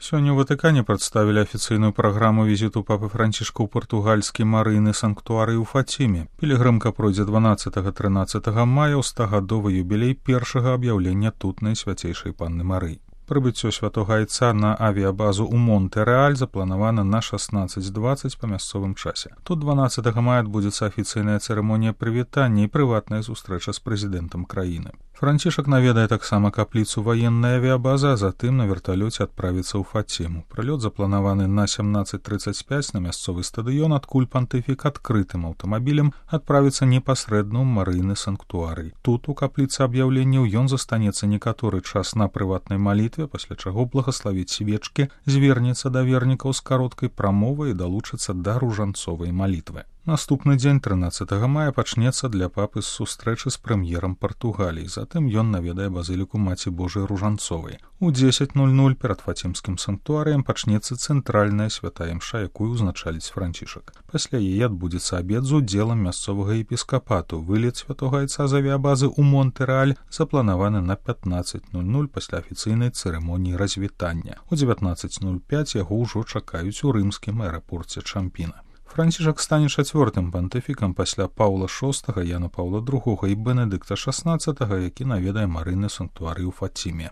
Сёння ў Ватыкане прадставілі афіцыйную праграму візіту папы Францішка ў партугальскі марыйны санктуарый у Фаціме. Пілігрымка пройдзе 12-13 мая ў 100-гадовы юбілей першага аб'яўлення тут Найсвяцейшай Панны Марыі. Прыбыццё святога айца на авіябазу ў Монте-Рэаль запланавана на 16:20 па мясцовым часе. Тут 12 мая адбудзецца афіцыйная цырымонія прывітання і прыватная сустрэча з прэзідэнтам краіны. Францішак наведае таксама капліцу ваеннай авіябазы, а затым на верталёце адправіцца ў Фаціму. Прылёт запланаваны на 17:35 на мясцовы стадыён, адкуль пантыфік адкрытым аўтамабілем адправіцца непасрэдна ў марыйны санктуарый. Тут у капліцы аб'яўленняў ён застанецца некаторы час на прыватнай малітве, пасля чаго благаславіць свечкі, звернецца да вернікаў з кароткай прамовай і далучыцца да ружанцовай малітвы. Наступны дзень 13 мая пачнецца для папы з сустрэчы з прэм'ерам Партугаліі. Затым ён наведае базыліку Маці Божай Ружанцовай. У 10:00 перад Фацімскім санктуарыем пачнецца цэнтральная святая імша, якую ўзначаліць Францішак. Пасля яе адбудзецца абед з удзелам мясцовага епіскапату. Вылет святога айца з авіябазы ў Монте-Рэаль запланаваны на 15:00 пасля афіцыйнай цырымоніі развітання. У 19:05 яго ўжо чакаюць у рымскім аэрапорце Чампіна. Францішак стане чацвёртым пантыфікам пасля Паўла VI, Яна Паўла II і Бенедыкта XVI, які наведае марыйны санктуарый у Фаціме.